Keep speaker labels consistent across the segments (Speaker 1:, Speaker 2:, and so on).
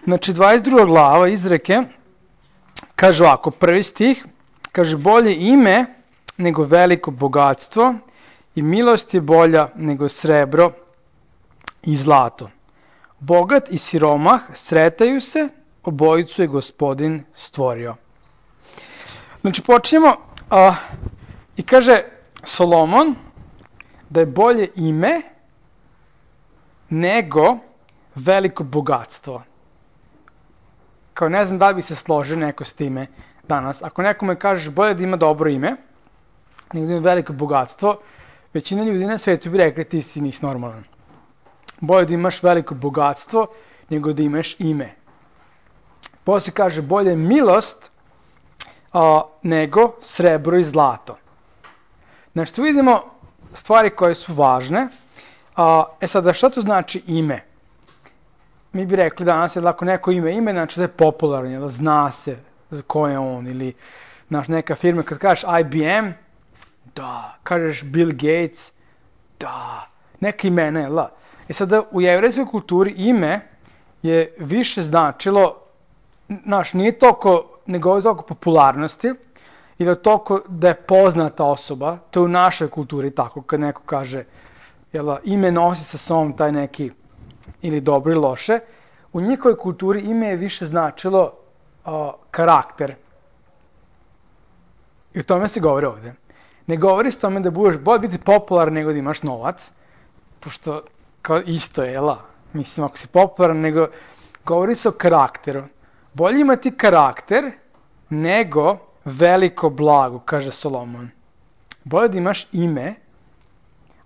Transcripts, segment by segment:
Speaker 1: Znači, 22. glava Izreke kaže ovako, prvi stih, kaže, bolje ime nego veliko bogatstvo i milost je bolja nego srebro i zlato. Bogat i siromah sretaju se, obojicu je Gospodin stvorio. Znači, počnemo i kaže Solomon da je bolje ime nego veliko bogatstvo. Kao ne znam da li bi se složio neko s time danas. Ako nekome kažeš bolje da ima dobro ime, nego da ima veliko bogatstvo, većina ljudi na svetu bi rekli ti nisi normalan. Bolje da imaš veliko bogatstvo nego da imaš ime. Poslije kaže bolje je milost nego srebro i zlato. Znači tu vidimo stvari koje su važne. Sada šta to znači ime? Mi bi rekli danas, ako neko ime, znači da je popularno, da zna se ko je on, ili neka firma, kad kažeš IBM, da, kažeš Bill Gates, da, neka imena, jel da? Sada u jevrejskoj kulturi ime je više značilo, nije toliko, ne govori toliko popularnosti, ili toliko da je poznata osoba, to je u našoj kulturi tako, kad neko kaže, jel da, ime nosi sa sobom taj neki, ili dobro ili loše, u njihovoj kulturi ime je više značilo karakter. I o tome se govori ovdje. Ne govori s tome da budeš bolje biti popularan nego da imaš novac, pošto kao isto je, jel? Mislim, ako si popularan, nego govori se o karakteru. Bolje imati karakter nego veliko blago, kaže Solomon. Bolje da imaš ime,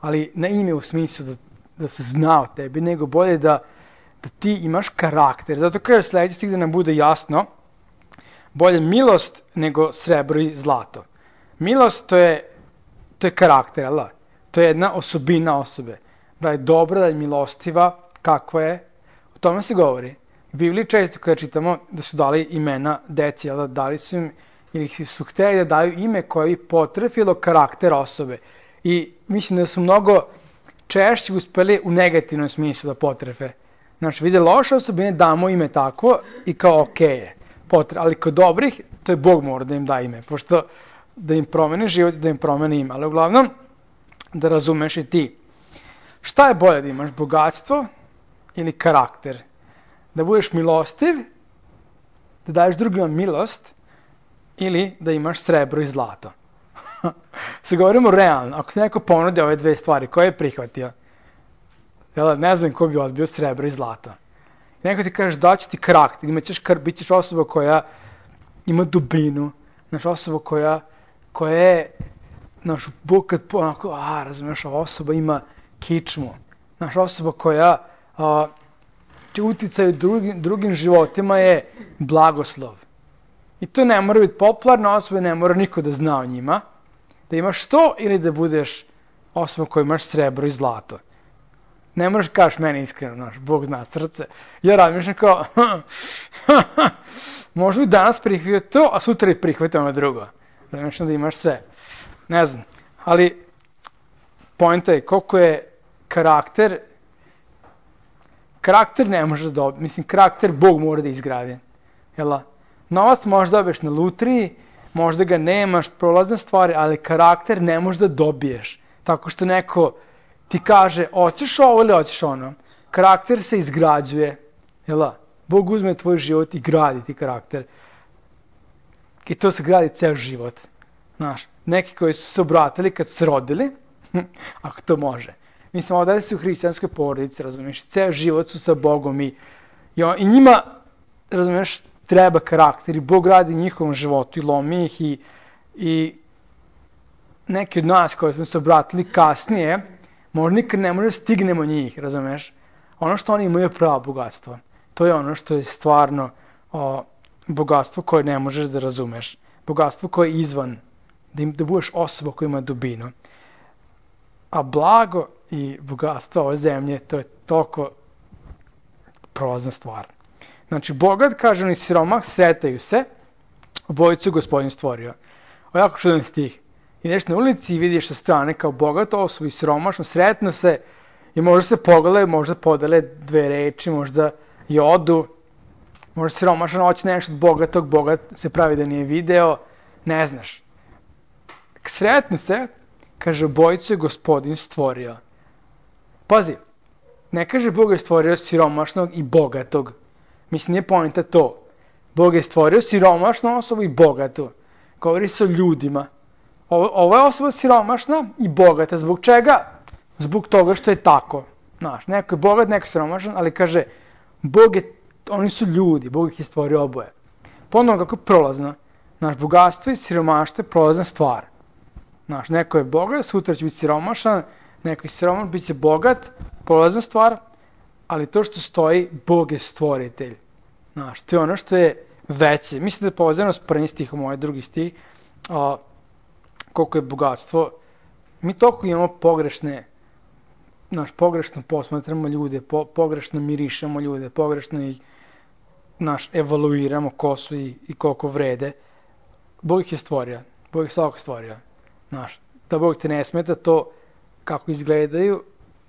Speaker 1: ali ne ime u smislu da se zna o tebi, nego bolje da ti imaš karakter. Zato kaže sljedeći stih da nam bude jasno, bolje milost nego srebro i zlato. Milost to je karakter, jel? To je jedna osobina osobe. Da je dobra, da je milostiva, kakva je. O tome se govori. U Bibliji često kada čitamo da su dali imena deci, jel? Dali su im, ili su htjeli da daju ime koje bi potrefilo karakter osobe. I mislim da su mnogo češće uspeli u negativnom smislu da potrefe. Znači, vide loše osobine, damo ime tako i kao okej je. Ali kod dobrih, to je Bog mora da im da ime. Pošto da im promeni život i da im promeni ime. Ali uglavnom, da razumeš i ti. Šta je bolje da imaš, bogatstvo ili karakter? Da budeš milostiv, da daješ drugima milost ili da imaš srebro i zlato. Se govorimo realno. Ako ti neko ponudi ove dve stvari, koje je prihvatio? Ne znam ko bi odbio srebro i zlato. Neko ti kaže da će ti karakter, bit ćeš osoba koja ima dubinu, osoba koja je, kad onako, razumiješ, osoba ima kičmu, osoba koja će uticaj drugim životima je blagoslov. I to ne mora biti popularna osoba, ne mora niko da zna o njima, da imaš to ili da budeš osoba koja imaš srebro i zlato. Ne moraš kažeš meni iskreno, Bog zna srce. Ja razmišljam kao, možda bi danas prihvatio to, a sutra i prihvatio ono drugo. Razmišljam da imaš sve. Ne znam, ali poenta je koliko je karakter ne može da dobiti. Mislim, karakter Bog mora da izgradi. Jel? Novac možda dobiješ na lutriji, možda ga nemaš, prolazne stvari, ali karakter ne možeš da dobiješ. Tako što neko ti kaže, hoćeš ovo ili hoćeš ono. Karakter se izgrađuje. Jel? Bog uzme tvoj život i gradi ti karakter. I to se gradi ceo život. Neki koji su se obratili kad su se rodili, ako to može. Mislim, ovdje su u hrišćanskoj porodici, razumiješ, ceo život su sa Bogom i njima, razumiješ, treba karakter i Bog radi u njihovom životu i lomi ih i neki od nas koji smo se obratili kasnije, možda nikad ne može stignemo njih, razumiješ. Ono što oni imaju je pravo bogatstvo. To je ono što je stvarno bogatstvo koje ne možeš da razumeš. Bogatstvo koje je izvan, da budeš osoba koja ima dubinu. A blago i bogatstvo ove zemlje, to je toliko prolazna stvar. Znači, bogat, kaže on, i siromah sretaju se, obojicu Gospodin stvorio. Ovo je jako čudan stih. Ideš na ulici i vidiš sa strane kao bogato osobu i siromašno, sretno se i možda se pogledaju, možda podele dve reči, možda i odu, Možda siromašan hoće nešto od bogatog, bogat se pravi da nije video, ne znaš. Sretnu se, kaže, obojicu je Gospodin stvorio. Pazi, ne kaže Bog je stvorio siromašnog i bogatog. Mislim, nije poenta to. Bog je stvorio siromašnu osobu i bogatu. Govori se o ljudima. Ovo je osoba siromašna i bogata. Zbog čega? Zbog toga što je tako. Znaš, neko je bogat, neko je siromašan, ali kaže, oni su ljudi, Bog ih je stvorio oboje. Ponovno kako je prolazno. Naš bogatstvo i siromaštvo je prolazna stvar. Znaš, neko je bogat, sutra će biti siromašan, neko je siromašan, bit će bogat, prolazna stvar, ali to što stoji, Bog je stvoritelj. Znaš, to je ono što je veće. Mislim da je povezano s prvim stihom, ovaj drugi stih, koliko je bogatstvo. Mi toliko imamo pogrešno posmatramo ljude, pogrešno mirišemo ljude, pogrešno ih evaluiramo ko su i koliko vrede. Bog ih je stvorio, Bog ih svakako stvorio. Znaš, da Bog te ne smeta to kako izgledaju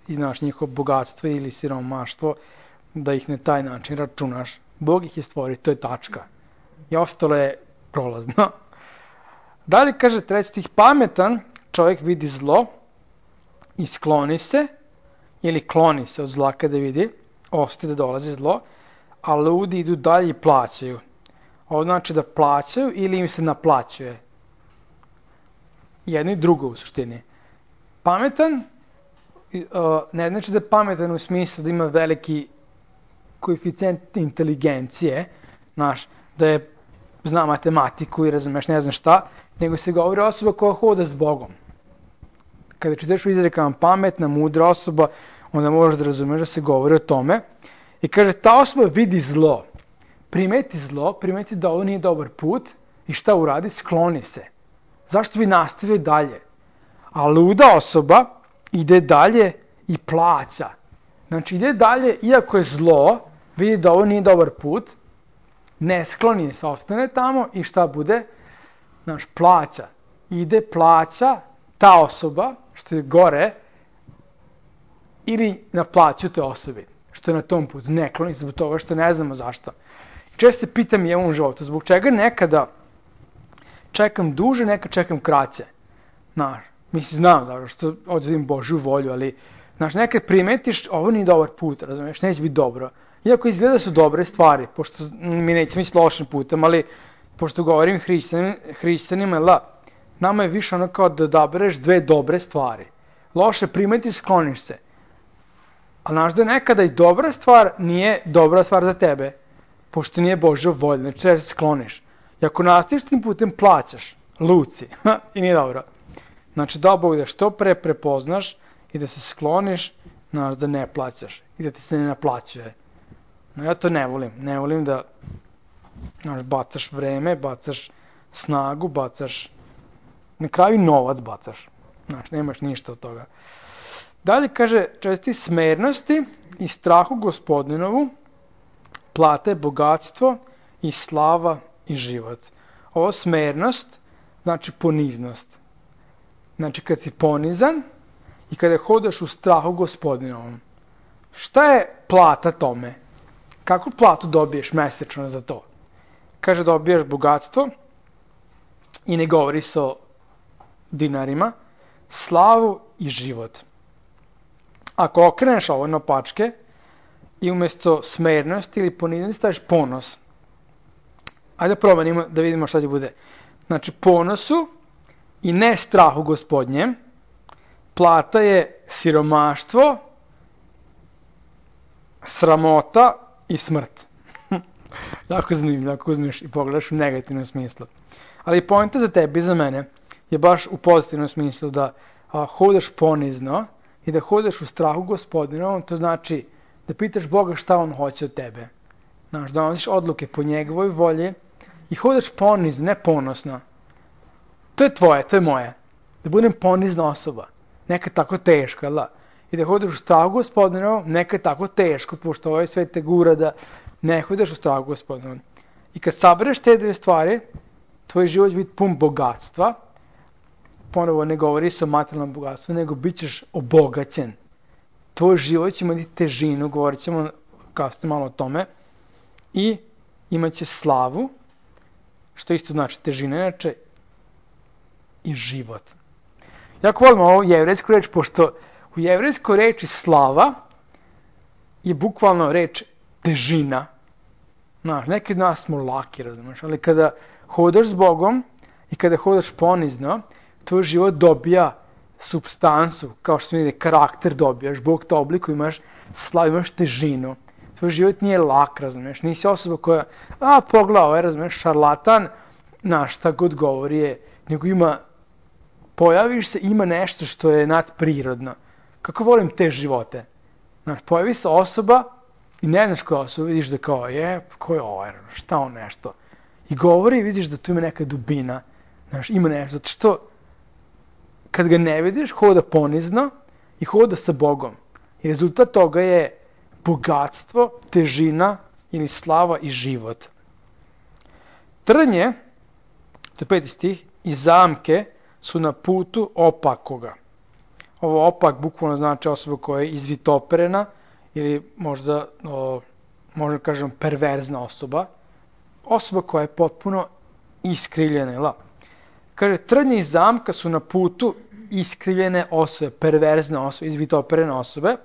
Speaker 1: i njihovo bogatstvo ili siromaštvo, da ih na taj način računaš. Bog ih je stvorio, to je tačka. I ostalo je prolazno. Dalje kaže treći stih, pametan čovjek vidi zlo i skloni se, ili kloni se od zla kada vidi, ostaje da dolazi zlo, a ludi idu dalje i plaćaju. Ovo znači da plaćaju ili im se naplaćuje. Jedno i drugo u suštini. Pametan ne znači da je pametan u smislu da ima veliki koeficijent inteligencije, da je zna matematiku i razumeš ne znam šta, nego se govori osoba koja hoda s Bogom. Kada čitaš u izrekama pametna, mudra osoba, onda možeš da razumeš da se govori o tome. I kaže, ta osoba vidi zlo. Primeti da ovo nije dobar put i šta uradi? Skloni se. Zašto bi nastavio dalje? A luda osoba ide dalje i plaća. Znači ide dalje, iako je zlo, vidi da ovo nije dobar put, ne skloni se, ostane tamo i šta bude? Plaća. Ide, plaća, ta osoba, što je gore, ili naplaću te osobi, što je na tom putu. Ne kloni se zbog toga što ne znamo zašto. Često se pitam i u ovom životu, zbog čega nekada čekam duže, nekad čekam kraće. Znam zašto, što odzivim Božju volju, ali nekad primetiš, ovo nije dobar put, razumiješ, neće biti dobro. Iako izgleda da su dobre stvari, pošto mi nećemo ići lošim putem, ali pošto govorim hrišćanima, nama je više ono kao da odabereš dve dobre stvari. Loše primeti, skloniš se. Ali znaš da nekada i dobra stvar nije dobra stvar za tebe, pošto nije Božja volja, znači se skloniš. I ako nastaviš tim putem, plaćaš, luci, i nije dobro. Znači da Bog da što pre prepoznaš i da se skloniš, znaš da ne plaćaš i da ti se ne naplaćuje. No ja to ne volim. Ne volim da bacaš vreme, bacaš snagu, bacaš, na kraju novac bacaš. Nemaš ništa od toga. Dalje kaže, česti smernosti i strahu Gospodinovu, plata je bogatstvo i slava i život. Ovo smernost znači poniznost. Znači kad si ponizan i kada hodaš u strahu Gospodinovom. Šta je plata tome? Kakvu platu dobiješ mesečno za to? Kaže dobijaš bogatstvo i ne govori se o dinarima, slavu i život. Ako okreneš ovo na pačke i umjesto smernosti ili poniznosti staviš ponos. Ajde promenimo da vidimo šta će bude. Znači ponosu i ne strahu Gospodnjem, plata je siromaštvo, sramota i smrt. Jako zanimljivo, ako uzmeš i pogledaš u negativnom smislu. Ali poenta za tebe i za mene je baš u pozitivnom smislu da hodaš ponizno i da hodaš u strahu Gospodinovom, to znači da pitaš Boga šta On hoće od tebe. Da donosiš odluke po njegovoj volji i hodaš ponizno, ne ponosno. To je tvoje, to je moje. Da budem ponizna osoba. Nekad tako teško, jel da? I da hodaš u strahu Gospodinovom, nekad tako teško, pošto ovaj svet te gura da ne hodaš u strahu Gospodinovom. I kad sabereš te dve stvari, tvoj život će biti pun bogatstva. Ponovo ne govori se o materijalnom bogatstvu, nego bit ćeš obogaćen. Tvoj život će imati težinu, govorit ćemo kasnije malo o tome. I imaće slavu, što isto znači težina inače, i život. Jako volim ovo jevrejsku reč, pošto u jevrejskoj reči slava je bukvalno reč težina. Znaš, neki od nas smo laki, razumiješ, ali kada hodaš s Bogom i kada hodaš ponizno, tvoj život dobija supstancu, kao što vidi, karakter dobijaš, Bog te oblikuje, imaš slavu, imaš težinu. Tvoj život nije lak, razumiješ, nisi osoba koja, pogledaj, ovaj, razumiješ, šarlatan, znaš, šta god govori je, nego ima, pojaviš se, ima nešto što je nadprirodno. Kako volim te živote? Znaš, pojavi se osoba i ne znaš koja osoba, vidiš da kao, ko je ovaj, šta on nešto. I govori i vidiš da tu ima neka dubina, znaš, ima nešto, zato što kad ga ne vidiš, hoda ponizno i hoda sa Bogom. I rezultat toga je bogatstvo, težina ili slava i život. Trnje, to je 5. stih, i zamke su na putu opakoga. Ovo opak bukvalno znači osoba koja je izvitoperena ili možda kažem perverzna osoba. Osoba koja je potpuno iskrivljena. Kaže, trnje i zamka su na putu iskrivljene osobe, perverzne osobe, izvitoperene osobe.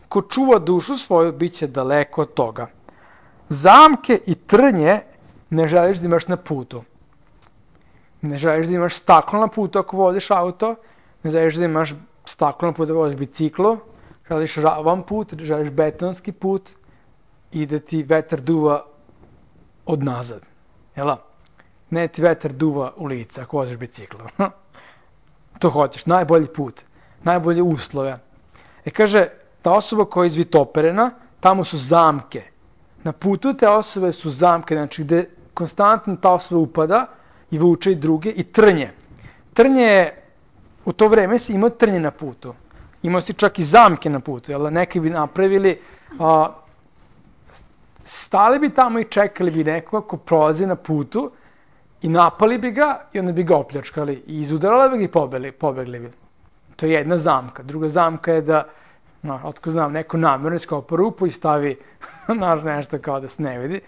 Speaker 1: Ko čuva dušu svoju, bit će daleko od toga. Zamke i trnje ne želiš da imaš na putu. Ne želiš da imaš staklo na putu ako voziš auto, ne želiš da imaš staklo na putu ako voziš biciklo, želiš ravan put, želiš betonski put i da ti vetar duva od nazad. Jel' ne ti vetar duva u lice ako voziš biciklo. To hoćeš, najbolji put, najbolje uslove. Kaže, ta osoba koja je izvitoperena, tamo su zamke. Na putu te osobe su zamke, znači gde konstantno ta osoba upada i vuče i druge, i trnje. Trnje je, u to vreme si imao trnje na putu. Imao si čak i zamke na putu, jel? Neki bi napravili, stali bi tamo i čekali bi nekoga ko prolazi na putu i napali bi ga i onda bi ga opljačkali i izudarali bi ga i pobegli bi. To je jedna zamka. Druga zamka je da, otko znam, neko namjerno iskopa rupu i stavi nešto kao da se ne vidi.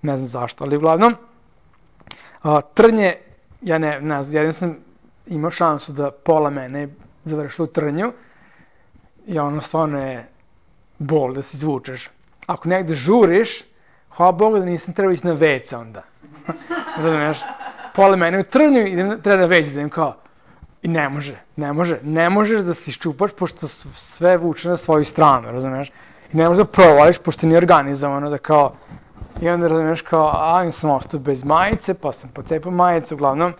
Speaker 1: Ne znam zašto, ali uglavnom, trnje, ja ne znam, jednom sam imao šansu da pola mene završilo u trnju i ono stvarno je bol da se izvučeš. Ako negde žuriš, hvala Bogu da nisam trebao ići na WC onda. Razumiješ? Pola mene u trnju i treba da WC idem kao, i ne možeš da se iščupaš pošto sve vuče na svoju stranu, razumiješ? I ne možeš da provališ pošto nije organizovano da kao, i onda razumiješ kao, im sam ostao bez majice, pa sam pocepao majicu, uglavnom,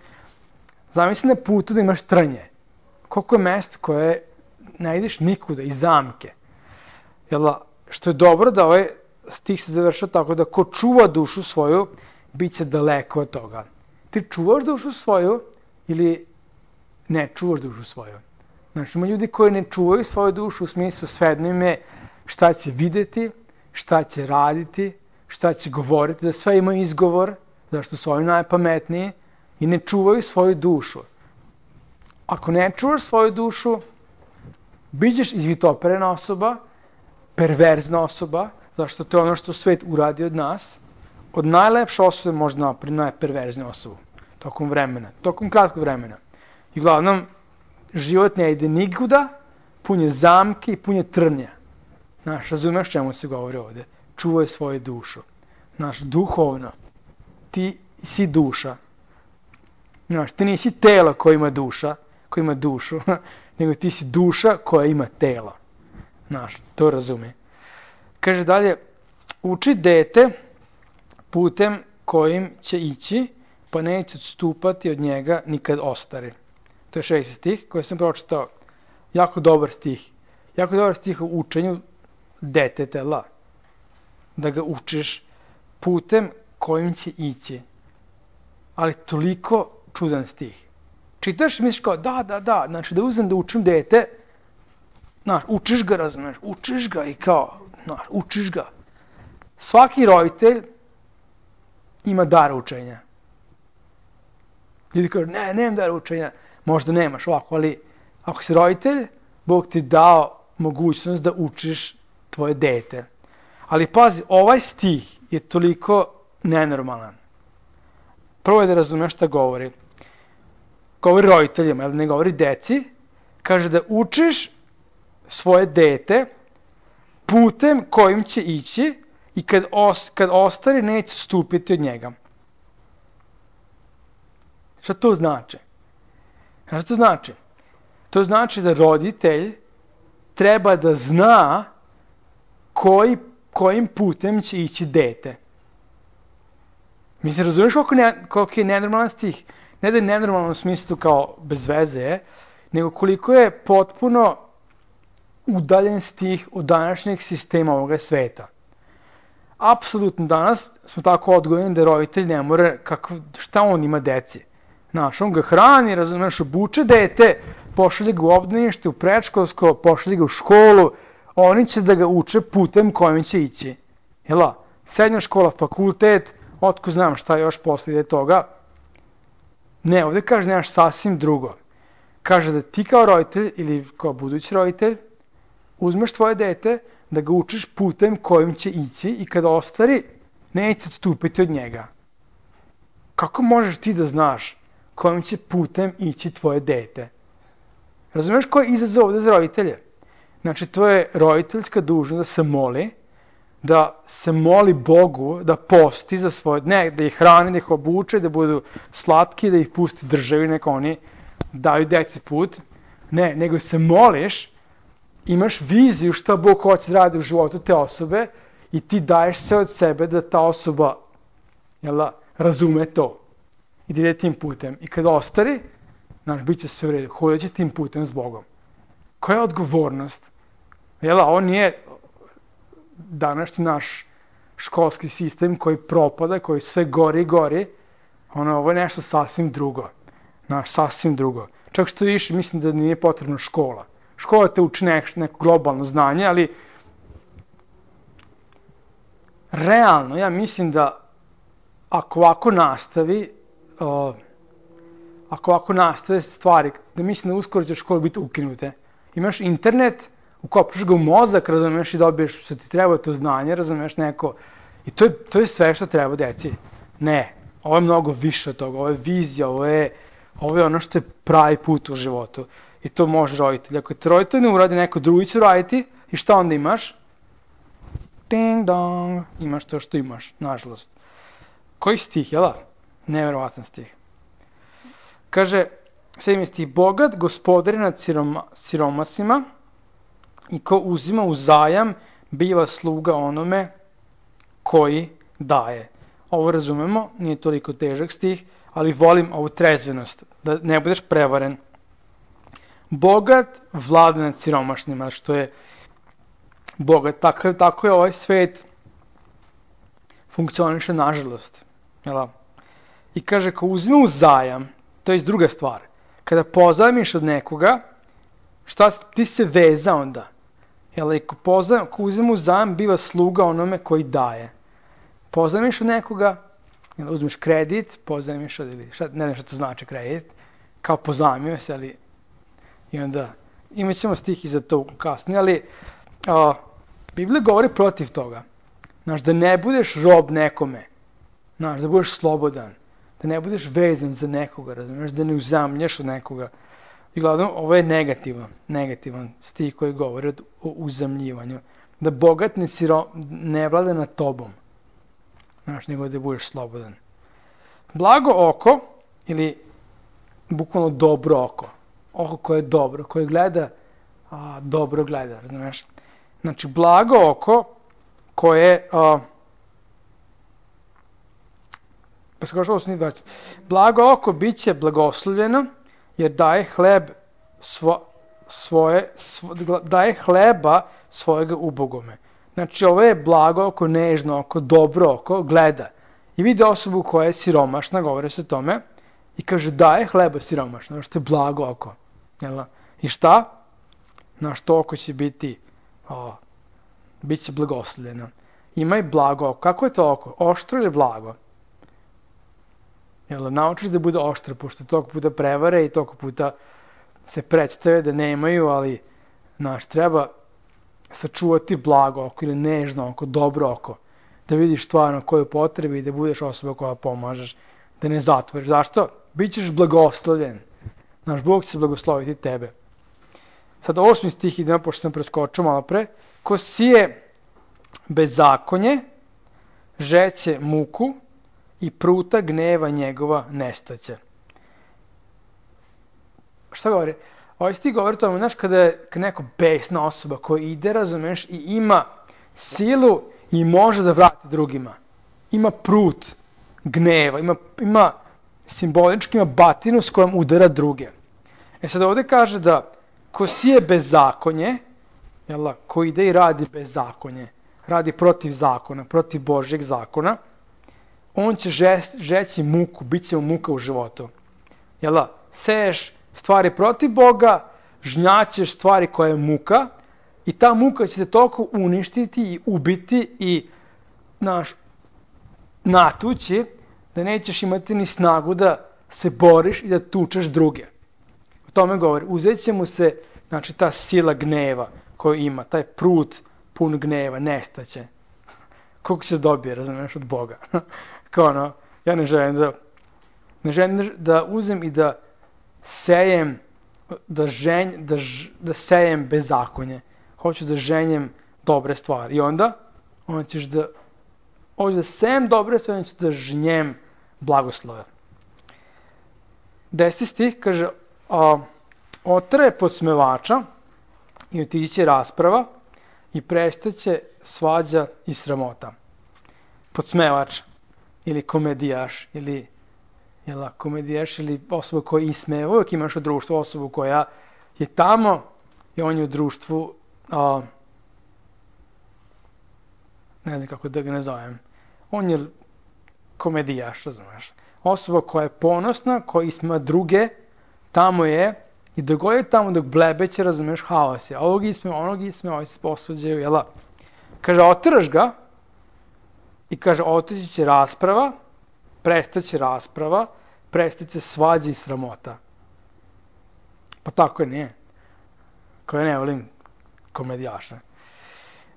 Speaker 1: zamisli na putu da imaš trnje. Koliko je mjesto koje ne ideš nikuda, i zamke. Što je dobro da ovaj stih se završa tako da ko čuva dušu svoju, bit će daleko od toga. Ti čuvaš dušu svoju ili ne čuvaš dušu svoju? Znači, ima ljudi koji ne čuvaju svoju dušu u smislu svejedno im je šta će videti, šta će raditi, šta će govoriti, da sve imaju izgovor, zašto su oni najpametniji i ne čuvaju svoju dušu. Ako ne čuvaš svoju dušu, bićeš izvitoperena osoba, perverzna osoba, zašto to je ono što svet uradi od nas. Od najlepše osobe možda napravi najperverzniju osobu tokom vremena, tokom kratkog vremena. I uglavnom, život ne ide nikuda, pun je zamke i pun je trnja. Znaš, razumeš čemu se govori ovdje? Čuvaj svoju dušu. Znaš, duhovno. Ti si duša. Znaš, ti nisi telo koje ima dušu, nego ti si duša koja ima telo. Znaš, to razumije. Kaže dalje, uči dete putem kojim će ići, pa neće odstupati od njega nikad ostari. To je 6. stih koji sam pročitao. Jako dobar stih. Jako dobar stih u učenju deteta. Da ga učiš putem kojim će ići. Ali toliko čudan stih. Čitaš i misliš kao da, znači da uzem da učim dete, znaš, učiš ga, razumiješ, učiš ga i kao, znaš, učiš ga. Svaki roditelj ima dar učenja. Ljudi kažu, nemam dar učenja, možda nemaš ovako, ali ako si roditelj, Bog ti dao mogućnost da učiš tvoje dete. Ali pazi, ovaj stih je toliko nenormalan. Prvo je da razumeš šta govori. Govori roditeljima, ne govori deci. Kaže da učiš svoje dete putem kojim će ići i kad ostari neće stupiti od njega. Šta to znači? Šta to znači? To znači da roditelj treba da zna kojim putem će ići dete. Mislim, razumiješ koliko je nenormalan stih? Ne da je nenormalan u smislu kao bez veze, nego koliko je potpuno udaljen stih od današnjeg sistema ovoga sveta. Apsolutno danas smo tako odgojeni da roditelj ne mora, šta on ima deci? Znaš, on ga hrani, razumiješ, obuče dete, pošalje ga u obdanište, u predškolsko, pošalje ga u školu, oni će da ga uče putem kojim će ići. Jela, srednja škola, fakultet, otko znam šta još poslije toga. Ne, ovdje kaže nešto sasvim drugo. Kaže da ti kao roditelj ili kao budući roditelj uzmeš tvoje dete, da ga učiš putem kojim će ići i kada ostari, neće odstupiti od njega. Kako možeš ti da znaš kojim će putem ići tvoje dete? Razumiješ koji je izazov ovdje za roditelje? Znači, to je roditeljska dužnost da se moli Bogu, da posti za svoje, ne, da ih hrani, da ih obuče, da budu slatki, da ih pusti državi, neka oni daju deci put. Ne, nego se moliš, imaš viziju šta Bog hoće da radi u životu te osobe i ti daješ sve od sebe da ta osoba razume to i da ide tim putem. I kada ostari, bit će sve u redu, hodit će tim putem s Bogom. Koja je odgovornost? Ovo nije današnji naš školski sistem koji propada, koji sve gori i gori. Ovo je nešto sasvim drugo. Sasvim drugo. Čak što više, mislim da nije potrebna škola. Škola te uči neko globalno znanje, ali realno, ja mislim da ako ovako nastave stvari, da mislim da uskoro će škole biti ukinute. Imaš internet, ukopaš ga u mozak, razumeš, i dobiješ što ti treba to znanje, razumeš, neko. I to je sve što treba deci. Ne, ovo je mnogo više od toga, ovo je vizija, ovo je ono što je pravi put u životu. I to može roditelj. Ako te roditelj ne uradi, neko drugi će raditi, i šta onda imaš? Ding dong, imaš to što imaš, nažalost. Koji stih, jel da? Neverovatan stih. Kaže, 7. stih, bogat gospodari nad siromasima i ko uzima u zajam, biva sluga onome koji daje. Ovo razumemo, nije toliko težak stih, ali volim ovu trezvenost, da ne budeš prevaren. Bogat vlada nad siromašnima, što je bogat. Tako je ovaj svet funkcioniše, nažalost. I kaže, ko uzme u zajam, to je druga stvar. Kada pozajmiš od nekoga, ti se veza onda. Ko uzme u zajam, biva sluga onome koji daje. Pozajmiš od nekoga, uzmeš kredit, pozajmiš od, ne znam što to znači kredit, kao pozajmio se, ali i onda imat ćemo stih i za to kasnije, ali Biblija govori protiv toga. Da ne budeš rob nekome, da budeš slobodan, da ne budeš vezan za nekoga, razumiješ, da ne uzamljaš od nekoga. I gledam, ovo je negativan stih koji govori o uzamljivanju. Da bogat ne vlada nad tobom, nego da budeš slobodan. Blago oko, ili bukvalno dobro oko koje je dobro, koje gleda, dobro gleda, razumiješ. Znači, blago oko koje blago oko bit će blagoslovljeno, jer daje daje hleba svojega ubogome. Znači, ovo je blago oko, nežno oko, dobro oko, gleda. I vidi osobu koja je siromašna, govore se o tome, i kaže daje hleba siromašno, što je blago oko. I šta? Naš to oko će biti, bit će blagoslovljeno. Ima i blago oko. Kako je to oko? Oštro ili blago? Naučiš da bude oštro, pošto toliko puta prevare i toliko puta se predstave da nemaju, ali treba sačuvati blago oko ili nežno oko, dobro oko. da vidiš stvarno koju potrebi i da budeš osoba koja pomažeš, da ne zatvoriš. Zašto? Bićeš blagoslovljen. Naš Bog će se blagosloviti tebe. Sad 8. stih idemo, pošto sam preskočio malo pre. Ko sije bezakonje, žeće muku i pruta gneva njegova nestaće. Šta govori? Ovaj stih govori tome, znaš, kada je neko besna osoba koja ide, razumeš, i ima silu i može da vrati drugima. Ima prut gneva, ima simbolički, ima batinu s kojom udara druge. Sad ovdje kaže da ko sije bezakonje, ko ide i radi bezakonje, radi protiv zakona, protiv Božjeg zakona, on će žeći muku, bit će mu muka u životu. Seješ stvari protiv Boga, žnjaćeš stvari koje je muka i ta muka će te toliko uništiti i ubiti i natući da nećeš imati ni snagu da se boriš i da tučeš druge. O tome govori. Uzet će mu se, ta sila gneva koju ima, taj prut pun gneva, nestaće. Koliko se dobije, razumiješ, od Boga. Ja ne želim da uzem i da sejem, da sejem bezakonje. Hoću da ženjem dobre stvari. I onda ćeš hoću da sejem dobre stvari, onda ću da žnjem blagoslove. 10. stih kaže, otraje podsmevača i otići će rasprava i prestaće svađa i sramota. Podsmevač ili komedijaš ili komedijaš ili osoba koja ismeva, uvijek imaš u društvu osobu koja je tamo i on je u društvu, ne znam kako da ga ne zovem, on je komedijaš, razumiješ. Osoba koja je ponosna, koja ismeva druge, tamo je i dok je tamo dok blebeće, razumiješ, haos je. Ovog ismeva, onog ismeva, ovi se posvađaju, Kaže, otiraš ga i kaže, otići će rasprava, prestaće rasprava, prestaće svađa i sramota. Pa tako je, nije. Koja ne volim komedijaša.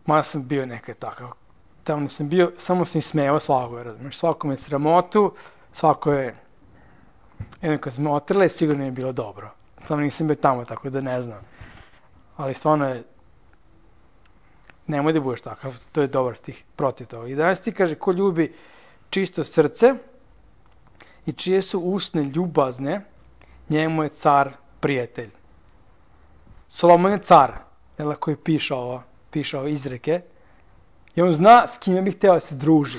Speaker 1: Mada sam bio nekad takav. Tamo sam bio, samo sam smejao svako, razumiješ. Svako me sramotu, svako je, jedno kad smo otrle, sigurno je bilo dobro. Samo nisam bio tamo, tako da ne znam. Ali stvarno je, nemoj da budeš takav, to je dobar stih protiv toga. 11. kaže, ko ljubi čisto srce i čije su usne ljubazne, njemu je car prijatelj. Solomon je car, koji piše ove izreke, i on zna s kime bi hteo da se druži.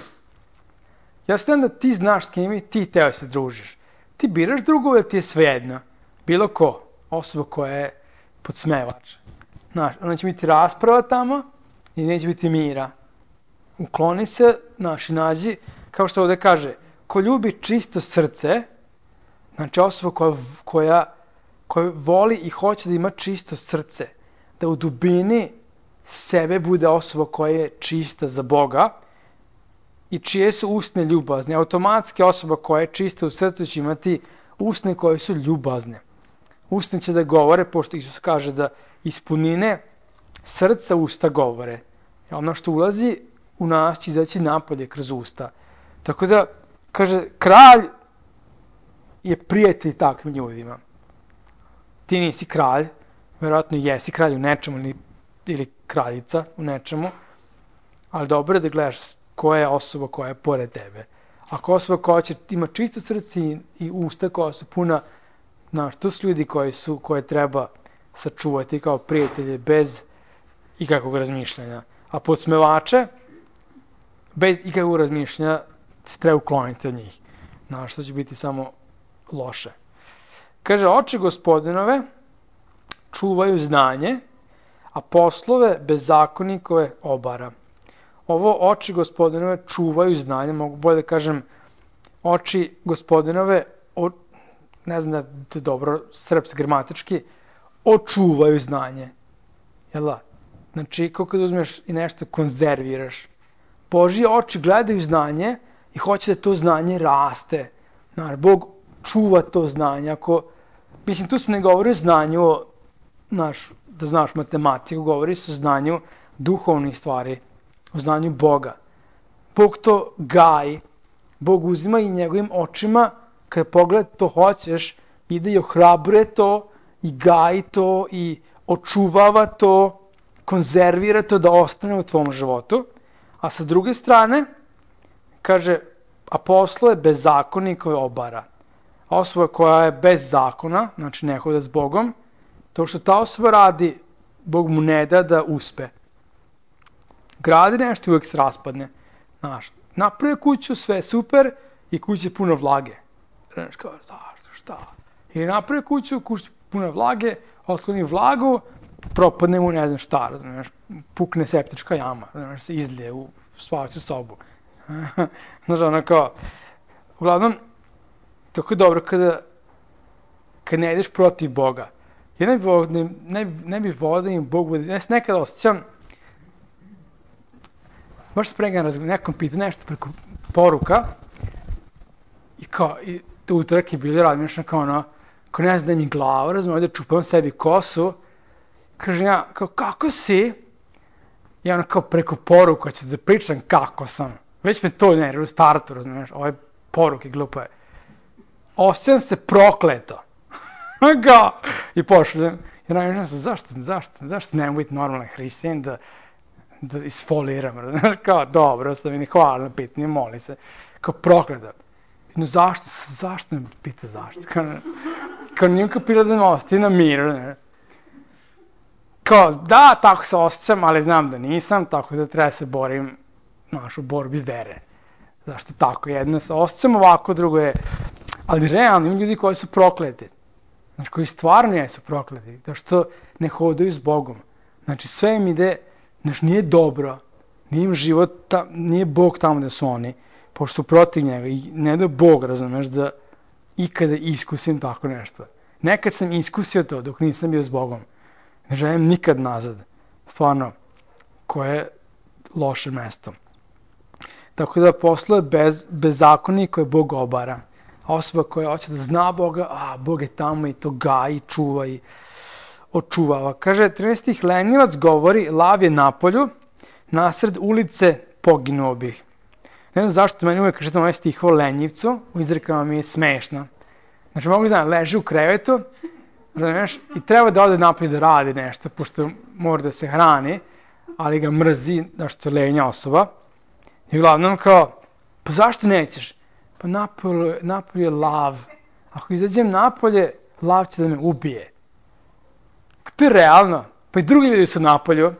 Speaker 1: Ja znam da ti znaš s kime ti hteo da se družiš. Ti biraš drugove, ti je svejedno. Bilo ko, osoba koja je podsmevač. Znaš, onda će biti rasprava tamo i neće biti mira. Ukloni se, i nađi, kao što ovdje kaže, ko ljubi čisto srce, znači osoba koja voli i hoće da ima čisto srce, da u dubini sebe bude osoba koja je čista za Boga i čije su usne ljubazne. Automatski osoba koja je čista u srcu će imati usne koje su ljubazne. Usne će da govore, pošto Isus kaže da iz punine srca usta govore. Ono što ulazi u nas će izaći napolje kroz usta. Tako da, kaže, kralj je prijatelj takvim ljudima. Ti nisi kralj, vjerojatno jesi kralj u nečemu ili kraljica u nečemu, ali dobro je da gledaš koja je osoba koja je pored tebe. Ako osoba koja ima čisto srce i usta koja su puna, to su ljudi koje treba sačuvati kao prijatelje bez ikakvog razmišljanja. A podsmevače, bez ikakvog razmišljanja, se treba ukloniti od njih. Što će biti samo loše. Kaže, oči Gospodinove čuvaju znanje, a poslove bezakonikove obara. Ovo oči Gospodinove čuvaju znanje, mogu bolje da kažem, oči Gospodinove, ne znam da je dobro srpski gramatički, očuvaju znanje. Znači, kako kad uzmeš i nešto konzerviraš, Božje oči gledaju znanje i hoće da to znanje raste. Bog čuva to znanje. Mislim, tu se ne govori o znanju, da znaš matematiku, govori se o znanju duhovnih stvari, o znanju Boga. Bog to gaji. Bog uzima i njegovim očima, kada pogleda to hoćeš, ide i ohrabruje to, i gaji to, i očuvava to, konzervira to da ostane u tvom životu. A sa druge strane, kaže, apostol je bezakonnik koji obara. A osoba koja je bez zakona, znači ne hoda s Bogom, to što ta osoba radi, Bog mu ne da da uspe. Gradi nešto i uvijek se raspadne. Znaš, napravi kuću, sve super i kuća je puno vlage. Znaš kao, šta? Ili napravi kuća puno vlage, otkloni vlagu, propadne mu ne znam šta, znaš, pukne septička jama, znaš, se izlije u spavaću sobu. Znaš, ono kao, uglavnom, tako je dobro kad ne ideš protiv Boga. Ja ne bih volio da im Bog bude, ja se nekada osjećam, baš spregan nekom pita nešto preko poruka i kao, i to utorak je bilo razmišljeno kao ono, kao ne znam da mi glava, razumije, ovdje čupam sebi kosu, kažem ja, kao kako si? I ono kao preko poruka ću da pričam kako sam. Već me to nervira u startu, razumiješ, ove poruke glupe. Osjećam se prokleto. I pošaljem. I razmišljam se, zašto ne biti normalan hristijan da isfoliram, razumiješ, kao dobro, sam mi ne hvala na pitanje, moli se, kao prokleto. No zašto me pita zašto? Kao nijem kapira da me ostaje na miru, ne? Kao, da, tako se osjećam, ali znam da nisam, tako da treba se borim, u borbi vere. Zašto tako? Jedno se osjećam ovako, drugo je, ali realno ima ljudi koji su prokleti. Znači, koji stvarno jesu prokleti, da što ne hodaju s Bogom. Znači, sve im ide, znači, nije dobro, nije im život, nije Bog tamo da su oni, pošto su protiv njega i ne da Bog, razumeš, da ikada iskusim tako nešto. Nekad sam iskusio to dok nisam bio s Bogom. Ne želim nikad nazad. Stvarno, koje je loše mesto. Tako da posluje bezakonnik koje Bog obara. A osoba koja hoće da zna Boga, Bog je tamo i to gaji, čuva i očuvava. Kaže, 13. lenjivac govori, lav je napolju, nasred ulice poginuo bih. Ne znam zašto meni uvijek kažete ovaj stih o lenjivcu, u izrekama mi je smešna. Znači, mogu znam, leži u krevetu, razumiješ, i treba da ode napolje da radi nešto, pošto mora da se hrani, ali ga mrzi, da što je lenja osoba. I uglavnom kao, pa zašto nećeš? Pa napolje je lav. Ako izađem napolje, lav će da me ubije. To je realno. Pa i drugi ljudi su napolju.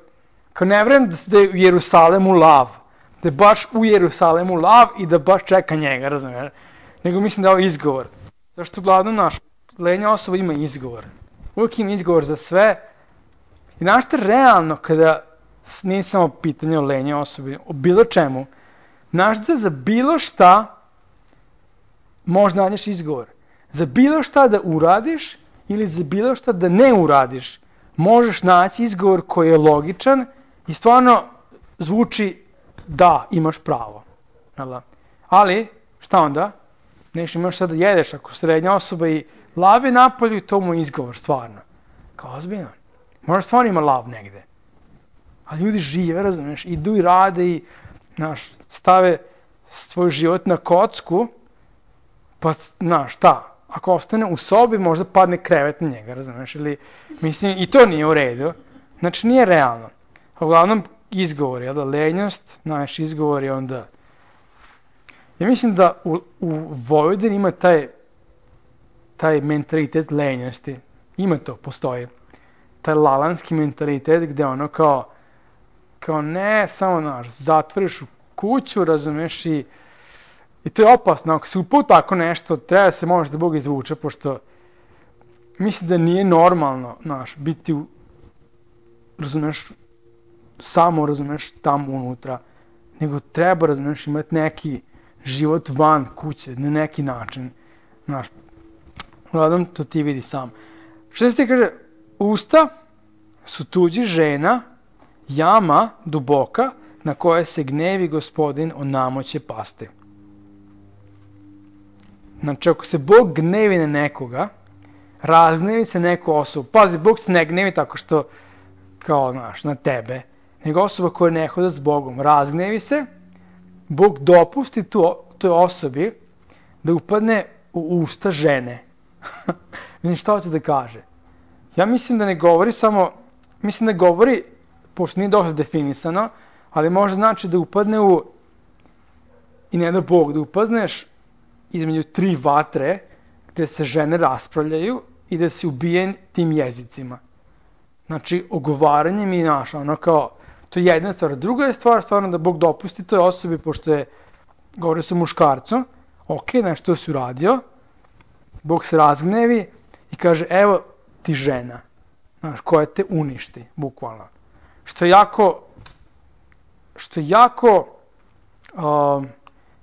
Speaker 1: Kao ne vrem da je u Jerusalemu lav. Da je baš u Jerusalemu lav i da baš čeka njega, razumiješ? Nego mislim da je ovo izgovor. Zašto uglavnom naš lenja osoba ima izgovor. Uvijek ima izgovor za sve. I znaš što realno kada nije samo pitanje o lenje osobi, o bilo čemu, znaš da za bilo šta možda nađeš izgovor. Za bilo šta da uradiš ili za bilo šta da ne uradiš, možeš naći izgovor koji je logičan i stvarno zvuči da imaš pravo. Ali, šta onda? Neš imaš sad da jedeš ako srednja osoba i lav je napolju i to mu je izgovor, stvarno. Kao ozbiljno. Možda stvarno ima lav negde. A ljudi žive, razumiješ, idu i rade i stave svoj život na kocku, pa, šta, ako ostane u sobi, možda padne krevet na njega, razumiješ, ili, mislim, i to nije u redu, znači nije realno. A uglavnom, izgovor je, lenjost, naš izgovor je onda, ja mislim da u Vojvodini ima taj mentalitet lenjosti, ima to, postoji, taj lalanski mentalitet gde ono kao ne, samo, zatvoriš u kuću, razumiješ, i to je opasno, ako se upao tako nešto, treba se možda Bog izvuče, pošto mislim da nije normalno, biti razumiješ, samo, razumiješ, tamo unutra, nego treba, razumiješ, imati neki život van kuće, na neki način, uglavnom, to ti vidi sam. Što se ti kaže, usta su tuđi žena, jama duboka, na koje se gnevi Gospodin o namoće pasti. Znači, ako se Bog gnevi na nekoga, razgnevi se neku osobu. Pazi, Bog se ne gnevi tako što, kao, na tebe, nego osoba koja ne hoda s Bogom. Razgnevi se Bog dopusti toj osobi da upadne u usta žene. Mislim, šta hoće da kaže? Ja mislim da ne govori samo, mislim da govori, pošto nije dosta definisano, ali može znači da upadne i ne da Bog, da upadneš između 3 vatre gde se žene raspravljaju i da si ubijen tim jezicima. Znači, ogovaranjem i ono kao, to je jedna stvar. Druga je stvar, stvarno da Bog dopusti toj osobi, pošto je, govori se muškarcu, ok, nešto si uradio, Bog se razgnevi i kaže, evo ti žena, znaš, koja te uništi, bukvalno. Što je jako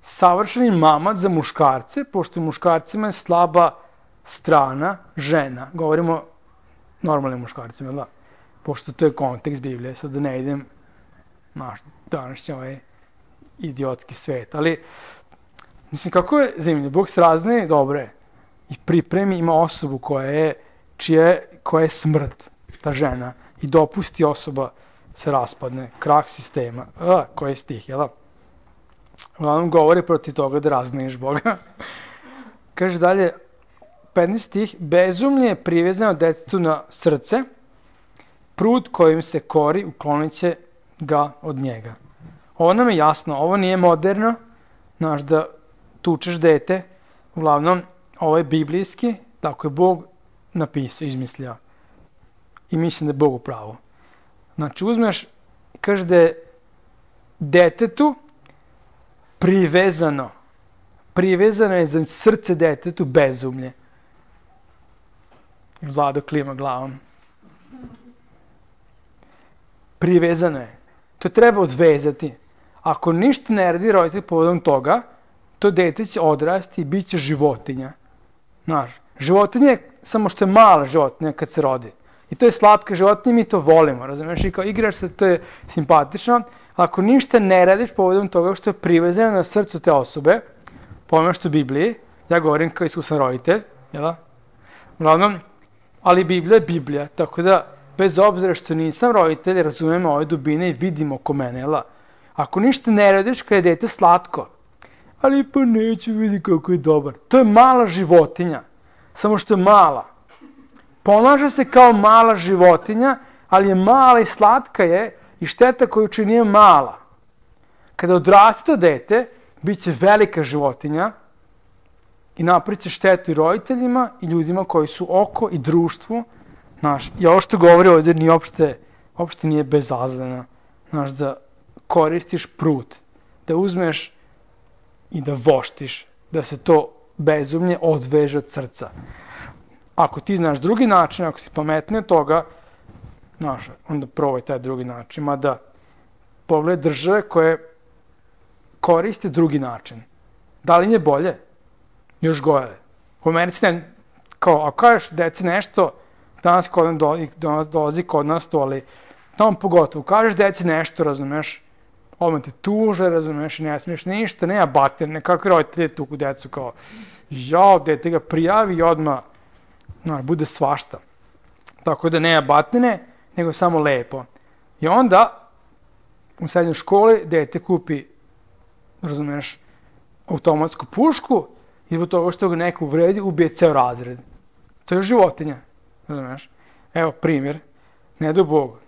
Speaker 1: savršeni mamac za muškarce, pošto muškarcima je slaba strana žena. Govorimo normalnim muškarcima, da? Pošto to je kontekst Biblije, sad da ne idem na današnji ovaj idiotski svet. Ali, mislim, kako je zemlje? Bog se razne, dobro je, i pripremi, ima osobu koja je smrt, ta žena, i dopusti osoba se raspadne, krah sistema. Koji je stih, jel da? Uglavnom govori protiv toga da razneš Boga. Kaže dalje, 15 stih, bezumlje je privezano detetu na srce, prut kojim se kori uklonit će ga od njega. Ovo nam je jasno, ovo nije moderno, znaš, da tučeš dete, uglavnom, ovo je biblijski, tako je Bog napisao, izmislio. I mislim da je Bog u pravu. Znači, uzmeš, kaže da je detetu privezano je za srce detetu bezumlje. Vlado klima glavom. Privezano je. To treba odvezati. Ako ništa ne radi roditelj povodom toga, to dete će odrasti i bit će životinja. Znaš, životinja je samo što je mala životinja kad se rodi. I to je slatka životinja, mi to volimo, razumiješ? I kao igraš se, to je simpatično. Ako ništa ne radiš povodom toga što je privezano na srcu te osobe, pojmaš to u Bibliji, ja govorim kao iskusan roditelj, jel? Uglavnom, ali Biblija je Biblija, tako da, bez obzira što nisam roditelj, razumemo ove dubine i vidimo oko mene, jel? Ako ništa ne radiš kada je dete slatko, ali pa neću vidi kako je dobar. To je mala životinja, samo što je mala. Ponaša se kao mala životinja, ali je mala i slatka je i šteta koju čini je mala. Kada odraste to dete, bit će velika životinja i napraviće štetu i roditeljima i ljudima koji su oko i društvu. Znaš, i ovo što govori ovdje ni uopšte nije bezazleno. Znaš, da koristiš prut, da uzmeš i da voštiš, da se to bezumlje odveže od srca. Ako ti znaš drugi način, ako si pametniji od toga, znaš, onda probaj taj drugi način. Mada pogledaj države koje koriste drugi način. Da li im je bolje? Još gore. U Americi ne, kao, ako kažeš deci nešto, danas dolazi kod nas to, ali tamo pogotovo, kažeš deci nešto, razumeš, odmah te tuže, razumeš, ne smiješ ništa, nema bater, nekakve roditelje tuku decu, kao, jao, dete ga prijavi i odmah, bude svašta. Tako da nema batine, nego samo lepo. I onda, u srednjoj školi, dete kupi, razumeš, automatsku pušku i zbog toga što ga neko uvredi, ubije ceo razred. To je životinja, razumeš. Evo primjer, ne do Bog,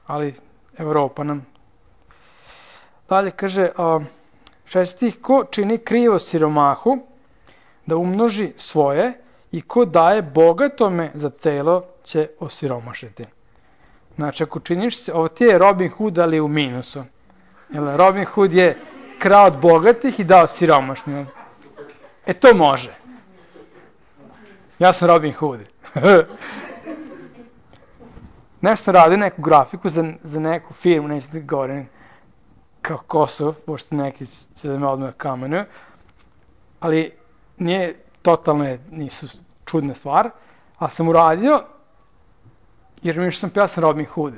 Speaker 1: ali Evropa nam. Dalje kaže, 6. ko čini krivo siromahu da umnoži svoje i ko daje bogatome za celo će osiromašiti. Znači, ako činiš, ovo ti je Robin Hood, ali u minusu. Jel, Robin Hood je krao od bogatih i dao siromašnjima. To može. Ja sam Robin Hood. Nešto sam radio neku grafiku za neku firmu, neću da govorim kao Kosovo, pošto neki će da me odmah kamenuju, ali nije, totalno nisu čudna stvar, ali sam uradio, jer mi sam ja sam Robin Hood.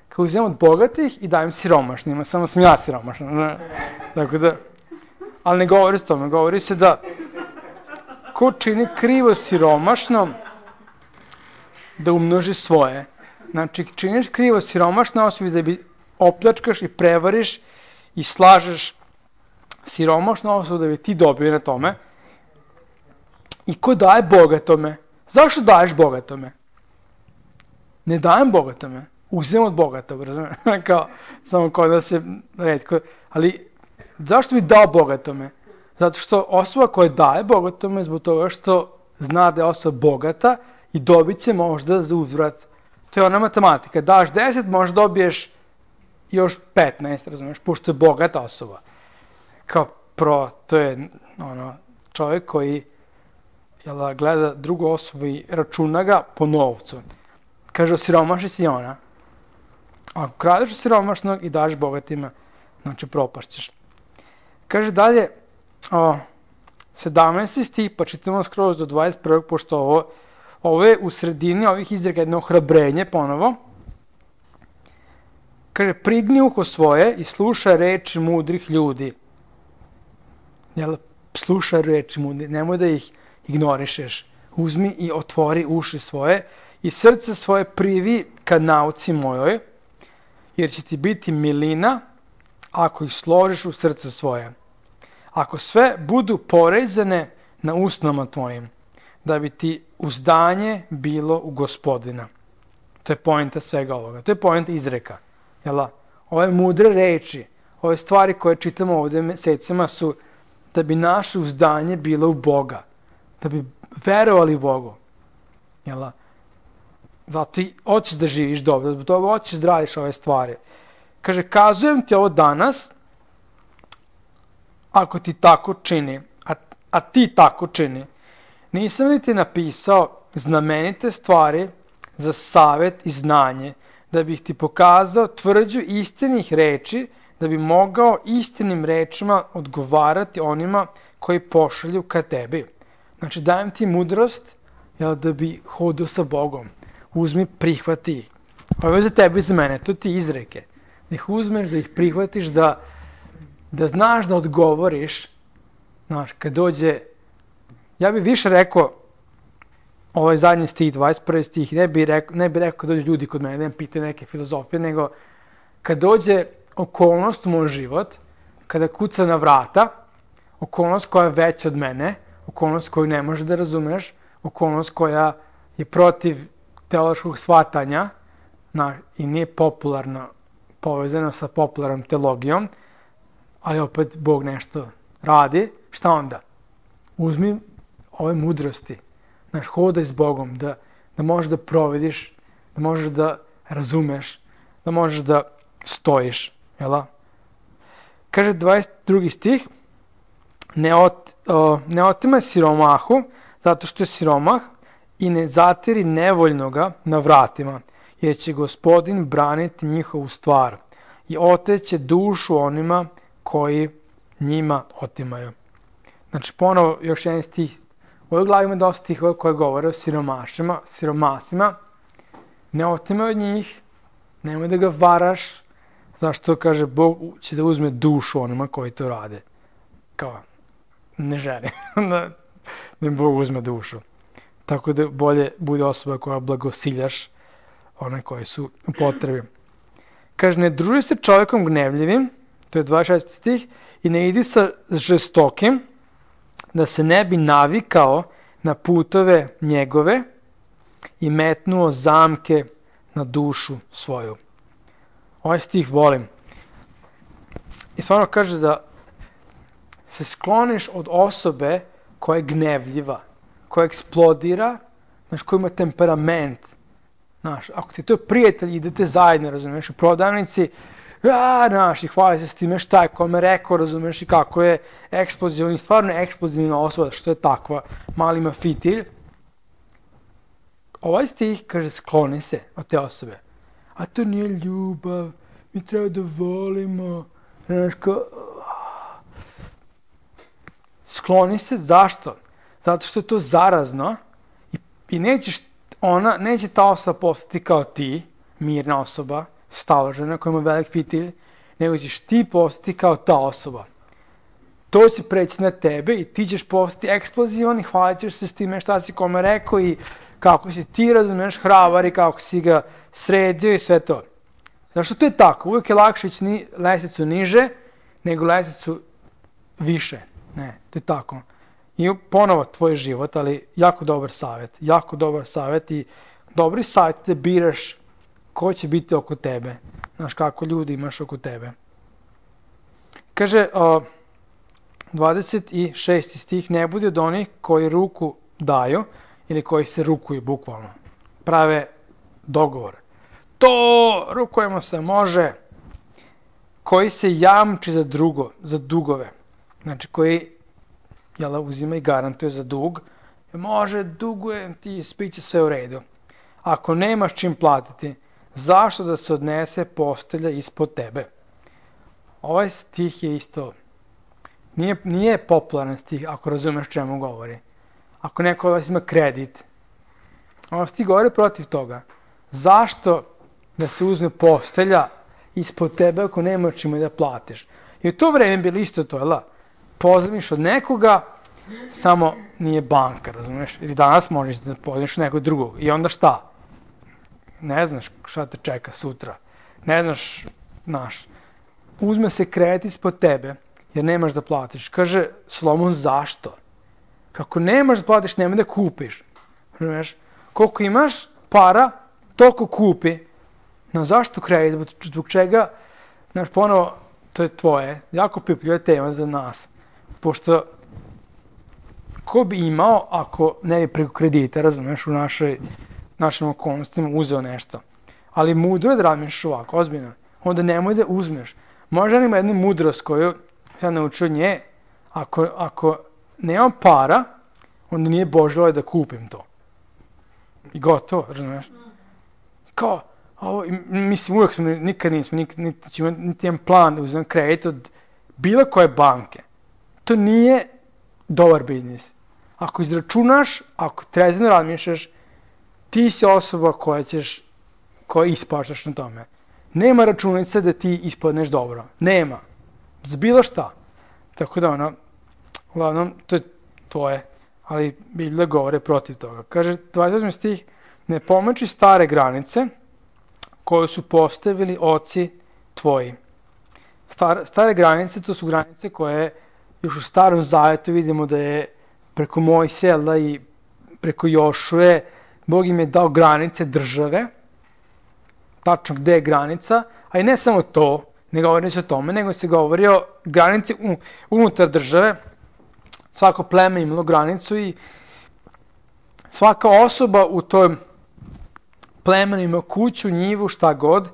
Speaker 1: Kao uzimam od bogatih i dajem siromašnjima, samo sam ja siromašan. Tako da, ali ne govori se tome, govori se da ko čini krivo siromašno, da umnoži svoje. Znači, činiš krivo siromašno osobi da bi opljačkaš i prevariš i slažeš siromašnu osobu da bi ti dobio na tome, i ko daje bogatome? Zašto daješ bogatome? Ne dajem bogatome, uzem od bogatog, razumiješ? Kao, samo kod da se retko, ali zašto bi dao bogatome? Zato što osoba koja daje bogatome zbog toga što zna da je osoba bogata i dobit će možda za uzvrat. To je ona matematika. Daš 10, možda dobiješ još 15, razumiješ, pošto je bogata osoba. Kao to je čovjek koji gleda drugu osobu i računa ga po novcu. Kaže, osiromaši si ona. Ako kradeš siromašnog i daš bogatima, znači propašćeš. Kaže dalje, 17. stih, pa čitamo skroz do 21. pošto ovo je u sredini ovih izreka jedno ohrabrenje ponovo. Kaže, prigni uho svoje i slušaj reči mudrih ljudi. Slušaj reči mudrih, nemoj da ih ignorišeš. Uzmi i otvori uši svoje i srce svoje privi ka nauci mojoj, jer će ti biti milina ako ih složiš u srce svoje. Ako sve budu poređene na usnama tvojim, da bi ti uzdanje bilo u Gospodina. To je poenta svega ovoga. To je poenta izreka. Ove mudre reči, ove stvari koje čitamo ovdje mesecima su da bi naše uzdanje bilo u Boga. Da bi verovali u Bogu. Zato i hoćeš da živiš dobro, zbog toga hoćeš da radiš ove stvari. Kaže, kazujem ti ovo danas, ako ti tako čini, a ti tako čini. Nisam li ti napisao znamenite stvari za savjet i znanje, da bih ti pokazao tvrđu istinih reči, da bi mogao istinim rečima odgovarati onima koji pošalju ka tebi. Znači, dajem ti mudrost da bi hodao sa Bogom. Uzmi, prihvati ih. Ovo je za tebe i za mene, to ti izreke. Da ih uzmeš, da ih prihvatiš, da znaš da odgovoriš. Znaš, kad dođe, ja bih više rekao, ovaj zadnji stih, 21. stih, ne bih rekao kad dođe ljudi kod mene, da im pite neke filozofije, nego kad dođe okolnost u moj život, kada kuca na vrata, okolnost koja je veća od mene, okolnost koju ne možeš da razumeš, okolnost koja je protiv teološkog shvatanja i nije popularno povezano sa popularnom teologijom, ali opet Bog nešto radi, šta onda? Uzmi ove mudrosti, hodaj s Bogom, da možeš da provediš, da možeš da razumeš, da možeš da stojiš. Kaže 22. stih, ne otimaj siromahu, zato što je siromah, i ne zatiri nevoljnoga na vratima, jer će Gospodin braniti njihovu stvar i oteće dušu onima koji njima otimaju. Znači, ponovo još jedan stih. U ovoj glavi ima dosta stihova koje govore o siromasima. Ne otimaj od njih, nemoj da ga varaš, zašto, kaže, Bog će da uzme dušu onima koji to rade. Kao, ne želi da Bog uzme dušu. Tako da bolje bude osoba koja blagosiljaš one koji su u potrebi. Kaže, ne druži se čovjekom gnevljivim, to je 26. stih, i ne idi sa žestokim, da se ne bi navikao na putove njegove i metnuo zamke na dušu svoju. Ovaj stih volim. I stvarno kaže da se skloniš od osobe koja je gnevljiva, koja eksplodira, koja ima temperament. Ako ti to je prijatelj, idete zajedno, razumiješ, u prodavnici, i hvali se s time šta je kome rekao, razumiješ, i kako je eksplozivni, stvarno je eksplozivna osoba, što je takva, mali ima fitilj. Ovaj stih kaže, skloni se od te osobe. A to nije ljubav, mi treba da volimo, skloni se, zašto? Zato što je to zarazno i neće ta osoba postati kao ti, mirna osoba, staložena, koja ima velik fitilj, nego ćeš ti postati kao ta osoba. To će preći na tebe i ti ćeš postati eksplozivan i hvalit ćeš se s time šta si kome rekao i kako si ti, razumiješ, hrabar i kako si ga sredio i sve to. Zašto to je tako? Uvijek je lakše ići lestvicu niže nego lestvicu više. Ne, to je tako. I ponovo tvoj život, ali jako dobar savjet i dobri savjet da biraš ko će biti oko tebe. Znaš kako ljudi imaš oko tebe. Kaže 26. stih, ne budi od onih koji ruku daju ili koji se rukuju bukvalno. Prave dogovor. To rukujemo se, može. Koji se jamči za dugove. Znači koji uzima i garantuje za dug. Može, dugujem ti, spiće sve u redu. Ako nemaš čim platiti, zašto da se odnese postelja ispod tebe? Ovaj stih je isto, nije popularan stih, ako razumeš čemu govori. Ako neko od vas ima kredit, ovaj stih govori protiv toga. Zašto da se uzme postelja ispod tebe ako nemaš čime da platiš? I u to vreme bilo isto to, pozajmiš od nekoga, samo nije banka, razumiješ? Ili danas možeš da pozajmiš nekog drugog. I onda šta? Ne znaš šta te čeka sutra. Ne znaš, uzme se kredit ispod tebe, jer nemaš da platiš. Kaže Solomon, zašto? Kako nemaš da platiš, nemoj da kupiš. Razumiješ? Koliko imaš para, toliko kupi. No zašto kredit? Zbog čega? Znaš, ponovo, to je tvoje. Jako pipljiva tema za nas. Pošto ko bi imao ako ne bi preko kredita, razumiješ, u našim okolnostima uzeo nešto. Ali mudro je da razmišljaš ovako, ozbiljno. Onda nemoj da uzmeš. Možda ima jednu mudrost koju sam naučio nje. Ako nemam para, onda nije Božja volja da kupim to. I gotovo, razumiješ? Kao, mislim, uvijek nikad nismo, niti imam plan da uzmem kredit od bilo koje banke. To nije dobar biznis. Ako izračunaš, ako trezno razmišljaš, ti si osoba koja ispaštaš na tome. Nema računice da ti ispadneš dobro. Nema. Za bilo šta. Tako da uglavnom, to je tvoje. Ali Biblija govore protiv toga. Kaže, 28. stih, ne pomeči stare granice koje su postavili oci tvoji. Stare granice, to su granice koje još u Starom Zavetu vidimo da je preko Mojsija i preko Jošue Bog im je dao granice države, tačno gde je granica, a i ne samo to, ne govori se o tome, nego se govori o granici unutar države. Svako pleme imalo granicu i svaka osoba u toj plemenu ima kuću, njivu, šta god,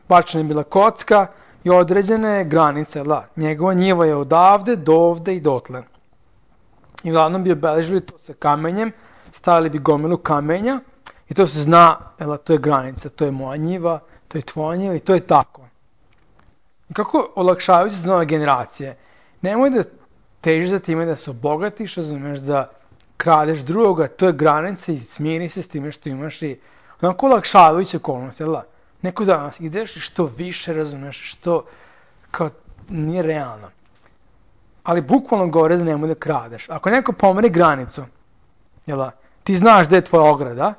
Speaker 1: bačena je bila kocka i određene granice. Njegova njiva je odavde, do ovde i dotle. I uglavnom bi obeležili to sa kamenjem, stavili bi gomilu kamenja i to se zna, to je granica, to je moja njiva, to je tvoja njiva i to je tako. I kako olakšavajući za nove generacije, nemoj da težiš za time da se obogatiš, razumiješ, da kradeš drugoga, to je granica i smiri se s time što imaš i onako olakšavajuće okolnosti, neko danas ideš i što više, razumiješ, što kao nije realno. Ali bukvalno govore da nemoj da kradeš. Ako neko pomeri granicu, ti znaš gde je tvoja ograda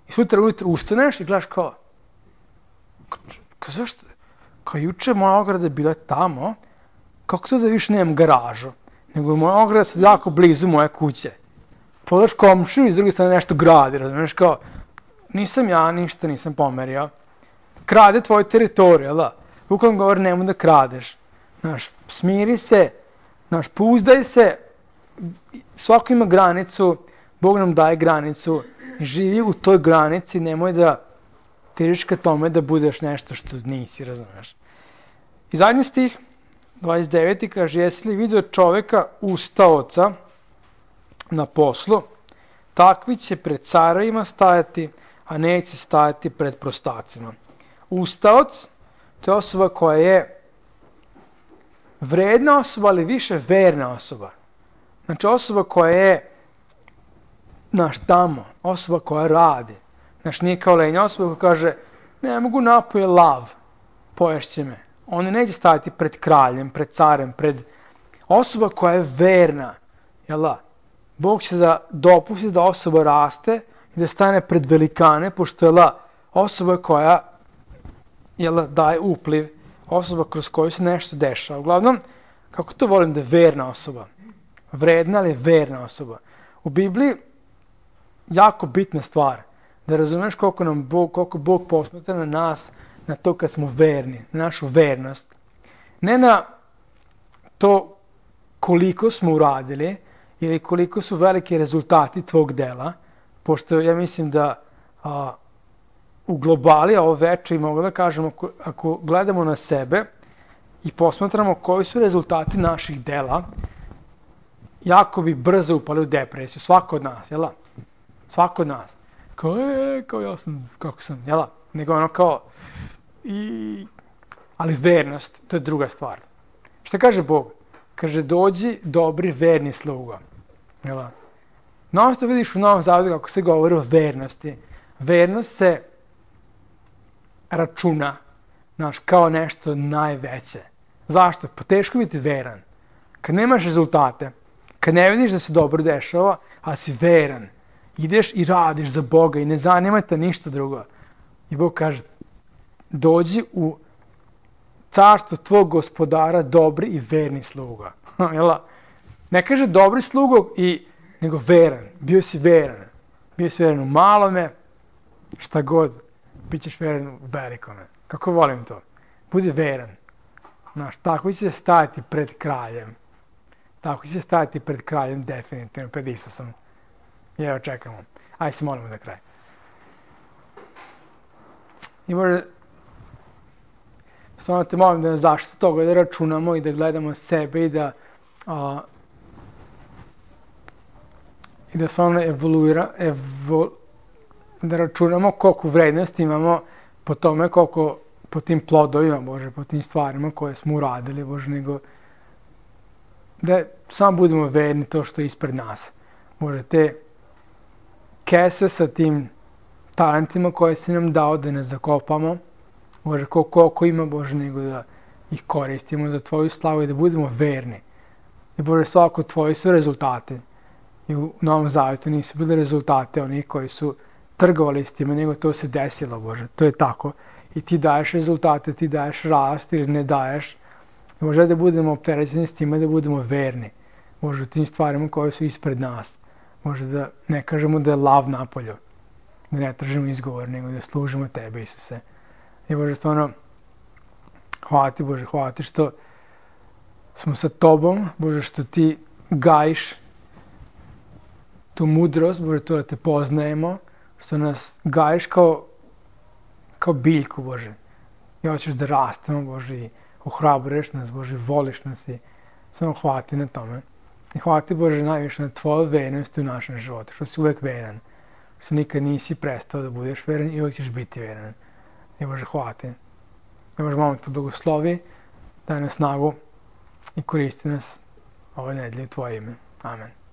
Speaker 1: i sutra ujutro ustaneš i gledaš kao zašto? Kao juče moja ograda je bila tamo, kako to da više nemam garažu, nego je moja ograda sad jako blizu moje kuće. Pogledaš komšiju i s druge strane nešto gradi, razumiješ, kao nisam ja, ništa nisam pomerio. Krade tvoju teritoriju, Bukvalno govori nemoj da kradeš. Smiri se, pouzdaj se, svako ima granicu, Bog nam daje granicu, živi u toj granici, nemoj da težiš ka tome da budeš nešto što nisi, razumiješ. I zadnji stih, 29. kaže, jesi li vidio čoveka ustaoca na poslu, takvi će pred carevima stajati, a neće stajati pred prostacima. Ustaoc, to je osoba koja je vredna osoba, ali više verna osoba. Znači osoba koja je tamo, osoba koja radi. Znači nije kao lenja osoba koja kaže ne mogu napoje lav, poješće me. On neće stajati pred kraljem, pred carem, pred osoba koja je verna. Bog će da dopusti da osoba raste i da stane pred velikane, pošto je osoba koja daje upliv osoba kroz koju se nešto dešava. Uglavnom, kako to volim da je verna osoba. Vredna, ali je verna osoba. U Bibliji jako bitna stvar da razumeš koliko Bog posmatra na nas, na to kad smo verni, na našu vernost. Ne na to koliko smo uradili ili koliko su veliki rezultati tvog dela, pošto ja mislim da u globali, a ovo veče, mogu da kažemo, ako gledamo na sebe i posmatramo koji su rezultati naših dela, jako bi brzo upali u depresiju. Svako od nas, jel? Svako od nas. Kao ja sam, kako sam, jel? Nego ono kao, ali vernost, to je druga stvar. Šta kaže Bog? Kaže, dođi dobri verni sluga. Jel? No, što vidiš u Novom Zavetu kako se govori o vernosti. Vernost se računa, znaš, kao nešto najveće. Zašto? Pa teško biti veran. Kad nemaš rezultate, kad ne vidiš da se dobro dešava, a si veran, ideš i radiš za Boga i ne zanima te ništa drugo. I Bog kaže, dođi u carstvo tvog gospodara dobri i verni sluga. Ne kaže dobri slugo, nego veran. Bio si veran. Bio si veran u malome, šta god. Bićeš veran u velikome. Kako volim to. Budi veran. Znaš, tako će se stajati pred kraljem. Tako će se stajati pred kraljem, definitivno, pred Isusom. I evo čekamo. Ajde se molimo za kraj. I možda, stvarno te molim da nas zaštiti toga, da računamo i da gledamo sebe i da stvarno da računamo koliko vrednosti imamo po tome, koliko po tim plodovima, Bože, po tim stvarima koje smo uradili, Bože, nego da samo budemo verni to što je ispred nas. Bože, te kese sa tim talentima koje si nam dao da ne zakopamo, Bože, koliko ima, Bože, nego da ih koristimo za Tvoju slavu i da budemo verni. I Bože, svako Tvoji su rezultate. I u Novom Zavetu nisu bili rezultate onih koji su trgovali s time, nego to se desilo, Bože. To je tako. I ti daješ rezultate, ti daješ rast ili ne daješ. I Bože, da budemo opterećeni s time, da budemo verni. Bože, u tim stvarima koje su ispred nas. Bože, da ne kažemo da je lav napolju. Da ne tražimo izgovor, nego da služimo Tebe, Isuse. I Bože, stvarno, hvala Ti, Bože, hvala Ti što smo sa Tobom, Bože, što Ti gajiš tu mudrost, Bože, to da Te poznajemo, što nas gajiš kao biljku, Bože. I hoćeš da rastemo, Bože, i ohrabruješ nas, Bože, voliš nas i samo hvala Ti na tome. I hvala Ti, Bože, najviše na Tvoju vernost u našem životu, što si uvek veran, što nikad nisi prestao da budeš veran i uvek ćeš biti veran. I Bože, hvala Ti. I Bože, molim Te blagoslovi, daj nam snagu i koristi nas ove nedelje u Tvoje ime. Amen.